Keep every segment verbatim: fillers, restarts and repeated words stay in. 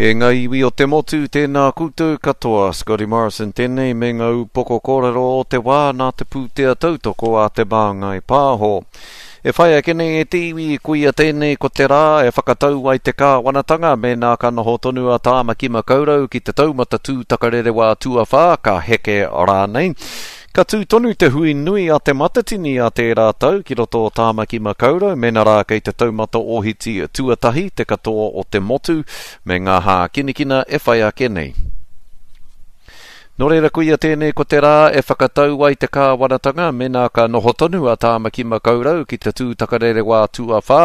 E ngā iwi o te motu, tēnā koutou katoa. Scotty Morrison tēnei me ngā upoko kōrero o te wā nā te pūtea tautoko a Te Māngai Pāho. E whai ake nei e te iwi, koia tēnei ko te rā e whakatau ai te kāwanatanga mēnā ka noho tonu a Tāmaki Makaurau ki te taumata tūtakarerewā tuawhā ka heke rānei. Ka tū tonu te hui nui a Te Matatini a tērā tau ki roto o Tāmaki Makaurau, mēnā rā kei te taumata ohiti tuatahi te katoa o te motu me ngā hākinakina e whai ake nei. Nō reira koia tēnei ko te rā e whakatau ai te kāwanatanga mēnā ka noho tonu a Tāmaki Makaurau ki te tūtakarerewā tuawhā,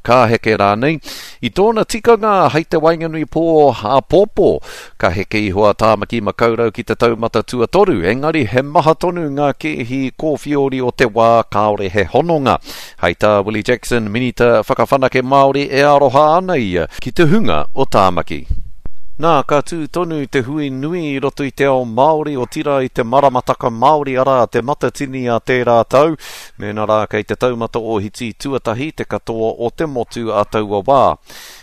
ka heke rānei. I tōna tikanga hei te waenganui pō āpōpō, ka heke iho a Tāmaki Makaurau ki te taumata tuatoru, engari he maha tonu ngā kēhi kōwhiori o te wā kāore he hononga. Hei tā Willie Jackson, Minita Whakawhanake Māori, e aroha ana ia ki te hunga o Tāmaki. Nā, ka tū tonu te hui nui i roto i te ao Māori, otirā i te maramataka Māori, arā, Te Matatini a tērā tau, mēnā rā kei te taumata ohiti tuatahi te katoa o te motu a taua wā.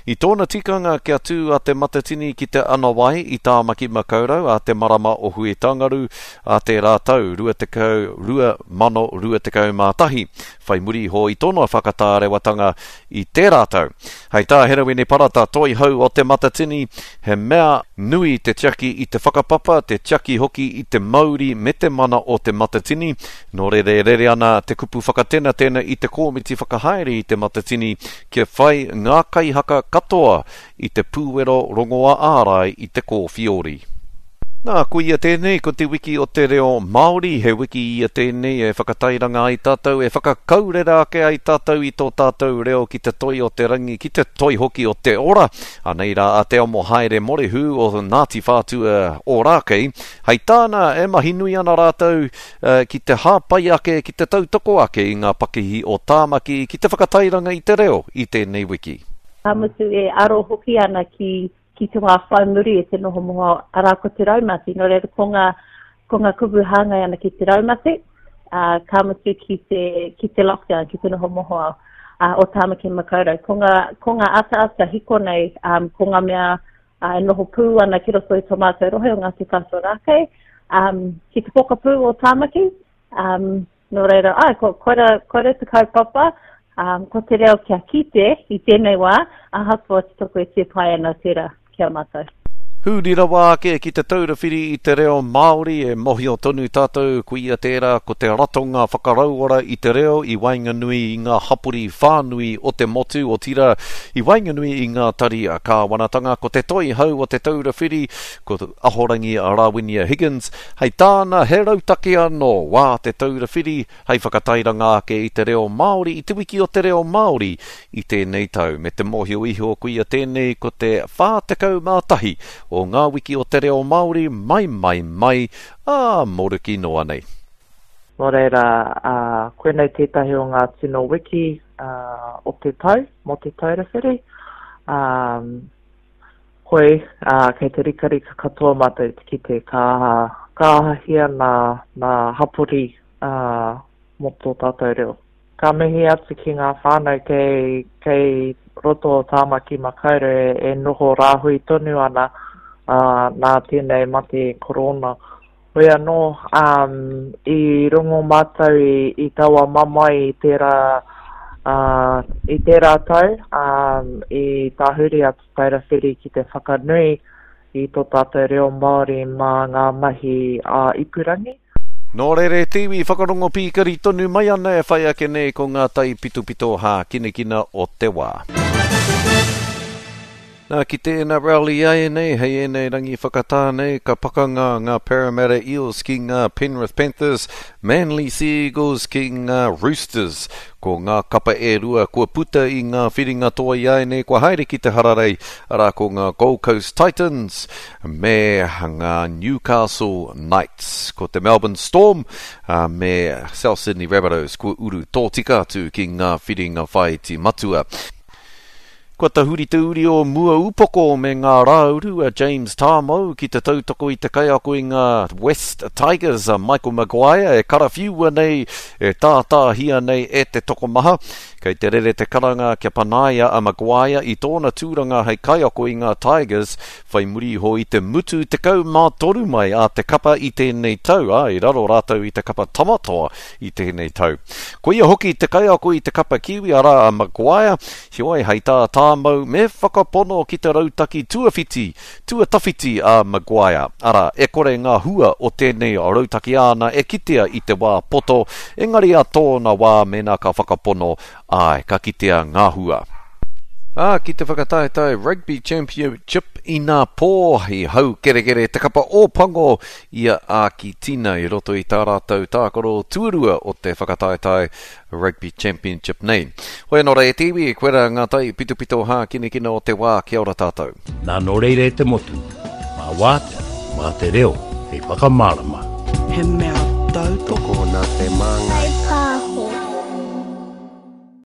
I tōna tikanga kia tū a Te Matatini ki te Anawai i Tāmaki Makaurau a te marama o Huitangaru a tērā tau, rua tekau, rua mano rua tekau mā tahi, whai muri iho i tōna whakatārewatanga i tērā tau. Hei tā Herewini Parata, toihau o Te Matatini, he mea nui te tiaki i te whakapapa, te tiaki hoki i te mauri me te mana o Te Matatini. Nō reira e rere ana te kupu whakatenatena i te kōmiti whakahaere i Te Matatini kia whai ngā kaihaka katoa i te pūwero rongoā ārai i te kōwhiori. Nā, koia tēnei, ko te wiki o te reo Māori, he wiki ia tēnei e whakatairanga ai tātou, e whakakaurera ake ai tātou i tō tātou reo ki te toi o te rangi, ki te toi hoki o te ora. Anei rā a Te Amohaere Morehu o Ngāti Whātua Ōrākei, hei tāna e mahi nui ana rātou ki te hāpai ake, ki te tautoko ake i ngā pakihi o Tāmaki, ki te whakatairanga i te reo i tēnei wiki. Ka mutu e aro hoki ana ki ki te wā whai muri e te noho moho, arā ko te raumati. Nō reira, ko ngā, ko ngā kupu hāngai ana ki te raumati, ā, ka mutu ki te, ki te lockdown, ki te noho mohoao, ā, o Tāmaki Makaurau. Ko ngā, ko ngā ataata hiko nei, um, ko ngā mea ā, e noho pū ana ki roto i tō mātou rohe o Ngāti Whātua Rākei, um, ki te pokapū o Tāmaki, um, nō reira, āe, ko, koira, koira te kaupapa, um, ko te reo kia kite i tēnei wā, ahakoa te toko e tē pai ana tērā ki a mātou. Huri rawa ake ki te Taura Whiri i te Reo Māori, e mohio tonu tātou koia tērā ko te ratonga whakarauora i te reo i waenganui i ngā hapori whānui o te motu, otirā i waenganui i ngā tari kāwanatanga. Ko te toihau o te Taura Whiri, ko Ahorangi Rawinia Higgins, hei tāna he rautaki anō wā te Taura Whiri hei whakatairanga ake i te reo Māori i te wiki o te reo Māori i tēnei tau. Me te mōhio iho koia tēnei ko te whā tekau mā tahi o ngā wiki o te reo Māori mai mai mai, ā, moruki noa nei. Nō reira, ā, koinei tētahi o ngā tino wiki, ā, o te tau, mō Te Taura Whiri. Ā, hoi, ā, kei te rikarika katoa mātou te kite ka aha, ka ahahia nā, nā hapori, ā, mō tō tātou reo. Ka mihi atu ki ngā whānau kei, kei roto o Tāmaki Makaurau e, e noho rāhui tonu ana, ā, nā tēnei mate korona. Hoi anō, ā, i rongo mātou i, i taua mamae i tērā, ā, i tērā tau, ā, i tahuri a Te Taura Whiri ki te whakanui i tō tātou reo Māori mā ngā mahi ā-ipurangi. Nō reira e te iwi, whakarongo pīkari tonu mai ana e whai ake nei ko ngā taipitopito hākinakina o te wā. Nā, ki te N R L ināianei, hei ēnei rangi whakatā nei, ka pakanga ngā Parramatta Eels ki ngā Penrith Panthers, Manly Sea Eagles ki ngā Roosters. Ko ngā kapa e rua kua puta i ngā whiringa toa ināianei kua haere ki te hararei, arā ko ngā Gold Coast Titans me ngā Newcastle Knights. Ko te Melbourne Storm me South Sydney Rabbitohs kua uru tōtika atu ki ngā whiringa whāiti matua. Kua tahuri te uri o Muaūpoko me ngā rāuru a James Tamou ki te tautoko i te kaiako i ngā West Tigers a Michael Maguire e karawhiua nei, e tātāhia nei e te tokomaha. Kei te rere te karanga kia panaia a Maguire i tōna tūranga hei kaiako i ngā Tigers whai muri iho i te mutu tekau mā toru mai a te kapa i tēnei tau, ā, i raro rātou i te kapa Tamatoa i tēnei tau. Ko ia hoki te kaiako i te kapa Kiwi, arā a Maguire, heoi hei tā Tamou me whakapono ki te rautaki tuawhiti, tuatawhiti a Maguire. Arā, e kore ngā hua o tēnei rautaki āna e kitea i te wā poto, engari a tōna wā mēnā ka whakapono, āe, ka kitea ngā hua. Ā, ki te whakataetae Rugby Championship inā pō, i hau kerekere te kapa Ōpango i a Ākitina i roto i tā rātou tākaro tuarua o te whakataetae Rugby Championship nei. Hoi anō rā e te iwi, koira ngā tai pitopito hākinakina o te wā, kia ora tātou. Nā nō reira e te motu, mā wātea, mā te reo, hei whakamārama. He mea tautoko nā Te Māngai.